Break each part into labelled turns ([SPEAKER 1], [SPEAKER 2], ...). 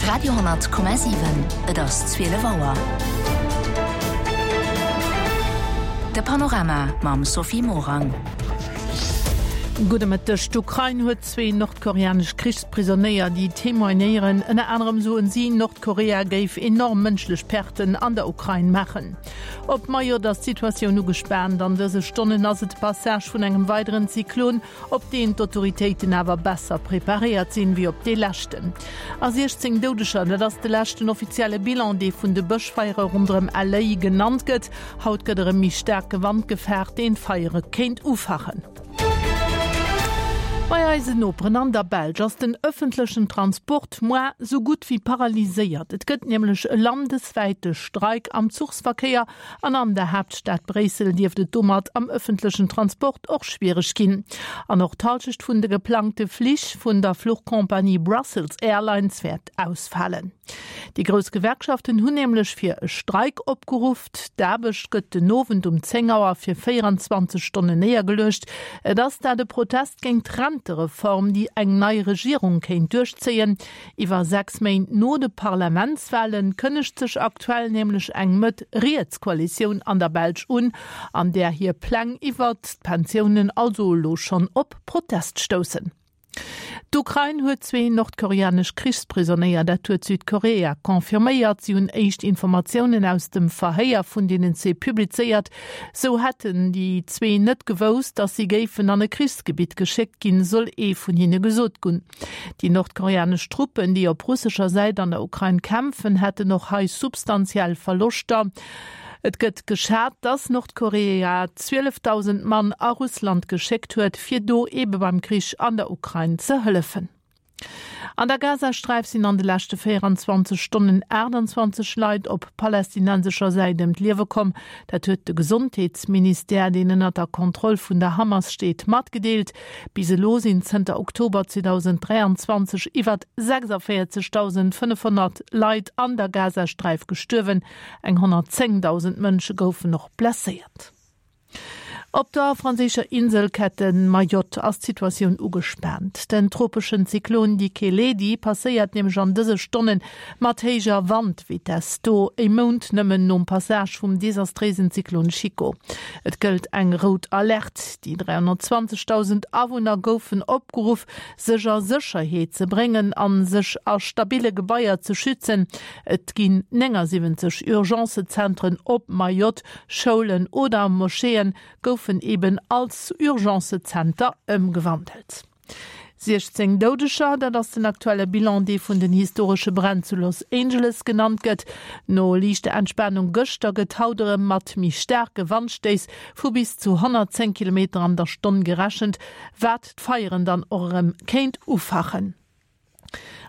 [SPEAKER 1] Radio,7 Et ass 12 Auer. De Panorama mam Sophie Morang.
[SPEAKER 2] Gudde Mëtteg. D'Ukrain huet zwee nordkoreanesch Krichsprisonéier, déi témoignéieren. Ënner anerem soen si, Nordkorea géif enorm mënschlech Perten an der Ukrain maachen. Op Mayotte ass d'Situatioun ugespaant. An dëse Stonnen ass et de Passage vun engem weideren Zyklon, op deen d'Autoritéiten awer besser preparéiert sinn, wéi op dee leschten. A 16 Doudeger, dat ass de leschten offizielle Bilan, dee vun de Bëschfeiere ronderëm LA genannt gëtt. Haut gëtt erëm méi staarke Wand gefaart, deen d'Feiere kéint ufachen. Bei eisen Noperen an der Belsch ass den ëffentlechen Transport moar sou gutt wéi paralyséiert. Et gëtt nämlech e landeswäite Streik am Zuchsverkéier An an der Haaptstad Bréissel dierft et domat am ëffentlechen Transport och schwiereg ginn. An och d'Hallschecht vun de geplangte Flich vun der Fluchcompagnie Brussels Airlines wäert ausfalen. Déi grouss Gewerkschaften hunn nämlech fir e Streik opgeruff. D'Aarbecht gëtt den Owend um 10 Auer fir 24 Stonnen néiergeluecht. Et ass dat e Protest géint d'Rentereform, déi eng nei Regierung kéint duerchzéien. Iwwer 6 Méint no de Parlamentswalen kënnegt sech aktuell nämlech eng Mëtt-Riets-Koalitioun an der Belsch un, an där hir Pläng iwwert d'Pensiounen also elo schonn op Protest stoussen. D'Ukrain huet zwee nordkoreanesch Krichsprisonéier, dat huet Südkorea confirméiert. Si hunn éischt Informatiounen aus dem Verhéier vun deenen zwee publizéiert. Sou hätten déi zwee net gewousst, datt si géifen an e Krichsgebitt geschéckt ginn, soll ee vun hinne gesot gunn. Déi nordkoreanesch Truppen, déi op russescher Säit an der Ukrain kämpfen, hätten och hei substantiell Verloschter. Et gëtt geschat, datt Nordkorea 12.000 Mann a Russland geschéckt huet, fir do eebe beim Krich an der Ukrain ze hëllefen. An der Gazasträif sinn an de leschte 24 Stonnen 28 Leit op palästinensescher Säit ëm d'Liewe komm. Dat huet de Gesondheetsministère, deen ënner der Kontroll vun der Hamas steet, matgedeelt. Bis elo sinn zënter Oktober 2023 iwwer 46.500 Leit an der Gazasträif gestuerwen. Eng 110.000 Mënsche goufen och blesséiert. Op der franséischer Inselkette Mayotte ass d'Situatioun ugespaant. Den tropeschen Zyklon Dikeledi passéiert nämlech an dëse Stonne mat héijer Wandvitess do, e Mount nëmmen nom Passage vum desastréisen Zyklon Chico. Et gëllt eng rout Alerte. Déi 320.000 Awunner goufen opgeruff, sech a Sécherheet ze bréngen a sech a stabille Gebaier ze schützen. Et ginn 79 Urgencezentren op Mayotte, Schoulen oder Moscheeë goufen eben als Urgencezenter ëmgewandelt. 16 Doudeger, dat ass den aktuelle Bilan, dee vun den historesche Bränn zu Los Angeles genannt gëtt. No liichter Entspanung gëschter gëtt haut erëm mat méi staarke Wandstéiss vu bis zu 110 Kilometer an der Stonn gerechent, wat d'Feieren dann och erëm kéint ufachen.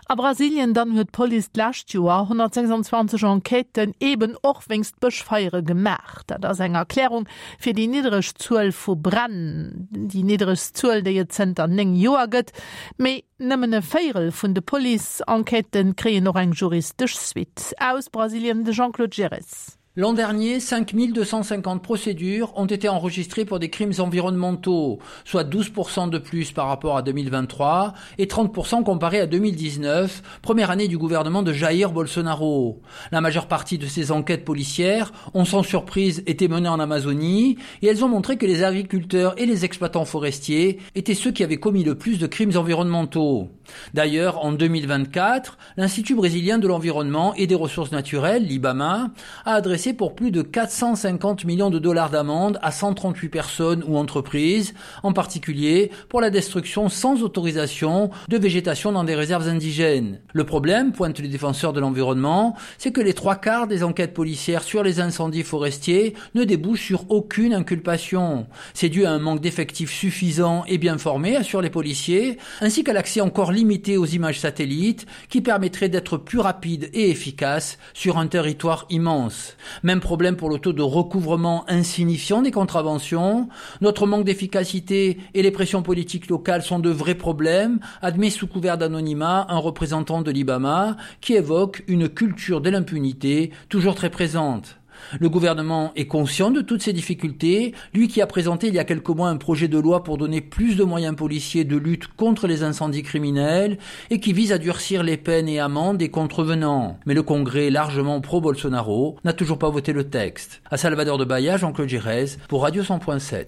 [SPEAKER 2] A Brasilien dann huet d'Police d'lescht Joer 126 Enquêten eben och wéinst Bëschfeiere gemaach. Dat ass eng Erklärung fir déi niddereg Zuel vu Bränn, déi nidderegst Zuel, déi et zënter 9 Joer gëtt. Mee nëmmen e Véierel vun de Police-Enquêtë kréien och eng juristesch Suite. Aus Brasilien de Jean-Claude Girres.
[SPEAKER 3] L'an dernier, 5250 procédures ont été enregistrées pour des crimes environnementaux, soit 12% de plus par rapport à 2023 et 30% comparé à 2019, première année du gouvernement de Jair Bolsonaro. La majeure partie de ces enquêtes policières ont sans surprise été menées en Amazonie et elles ont montré que les agriculteurs et les exploitants forestiers étaient ceux qui avaient commis le plus de crimes environnementaux. D'ailleurs, en 2024, l'Institut brésilien de l'environnement et des ressources naturelles, l'IBAMA, a adressé pour plus de 450 millions de dollars d'amende à 138 personnes ou entreprises, en particulier pour la destruction sans autorisation de végétation dans des réserves indigènes. Le problème, pointe les défenseurs de l'environnement, c'est que les trois quarts des enquêtes policières sur les incendies forestiers ne débouchent sur aucune inculpation. C'est dû à un manque d'effectifs suffisant et bien formés, assurent les policiers, ainsi qu'à l'accès encore limité aux images satellites qui permettrait d'être plus rapide et efficace sur un territoire immense. Même problème pour le taux de recouvrement insignifiant des contraventions. Notre manque d'efficacité et les pressions politiques locales sont de vrais problèmes, admet sous couvert d'anonymat un représentant de l'Ibama qui évoque une culture de l'impunité toujours très présente. Le gouvernement est conscient de toutes ces difficultés, lui qui a présenté il y a quelques mois un projet de loi pour donner plus de moyens policiers de lutte contre les incendies criminels et qui vise à durcir les peines et amendes des contrevenants. Mais le Congrès, largement pro-Bolsonaro, n'a toujours pas voté le texte. À Salvador de Bahia, Jean-Claude Girez pour Radio 100.7.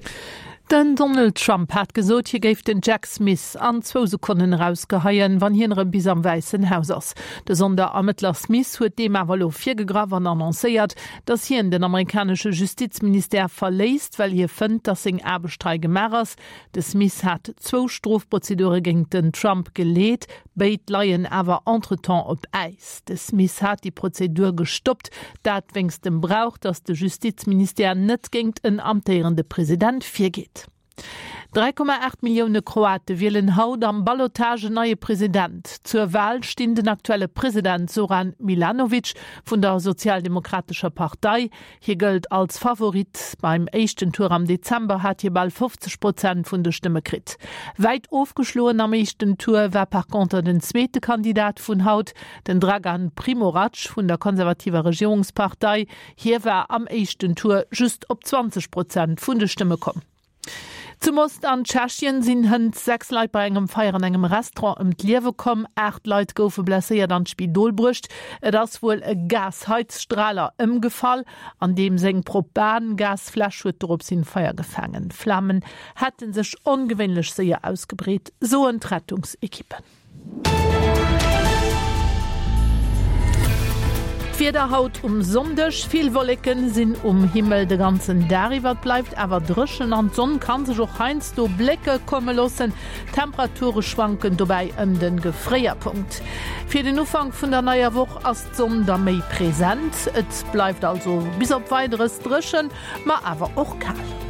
[SPEAKER 2] Den Donald Trump hat gesot, hie géif den Jack Smith an zwou Sekonnen erausgeheien, wann hien erëm bis am Wäissen Haus ass. De Sonderermëttler Smith huet deem awer elo virgegraff an annoncéiert, datt hien den amerikanesche Justizministère verléisst, well hie fënnt, datt seng Aarbecht hei gemaach ass. De Smith hat zwou Strofprozedure géint den Trump geleet, béid leien awer entretemps op Äis. De Smith hat déi Prozedur gestoppt, dat wéinst dem Brauch, datt de Justizministère net géingt en amtéierende President virgeet. 3,8 Millioune Kroate wielen haut am Ballotage en neie President. Zur Wal stinn den aktuelle President Zoran Milanovic vun der Sozialdemokratescher Partei, Hie gëllt als Favorit. Beim éischten Tour am Dezember hat hie bal 50 Prozent vun de Stëmme kritt. Wäit ofgeschloen am éischten Tour war par conter den zweete Kandidat vun haut, den Dragan Primorac vun der konservativer Regierungspartei. Hie war am éischten Tour just op 20 Prozent vun de Stëmme komm. Zu Most an Tschechien sinn hënt 6 Leit bei engem Feier an engem Restaurant ëm d'Liewe komm. 8 Leit goufe blesséiert an d'Spidol bruecht. Et ass wuel e Gasheizstraler ëmgefall, an deem seng Propan-Gasfläsch huet dorops hin Feier gefaangen. D'Flamen hätte sech ongewéinlech séier ausgebreet, soen d'Rettungsekippen. D'Wieder haut um Sonndeg, Vill Wolleken sinn um Himmel de ganzen Dag iwwer, et bleift awer dréchen an d'Sonn ka sech och heiansdo blécke komme loossen. D'Temperature schwanken dobäi ëm de Gefréierpunkt. Fir den Ufank vun der neier Woch ass d'Sonn da méi present, et bleift also bis op Weideres dréchen, ma awer och kal.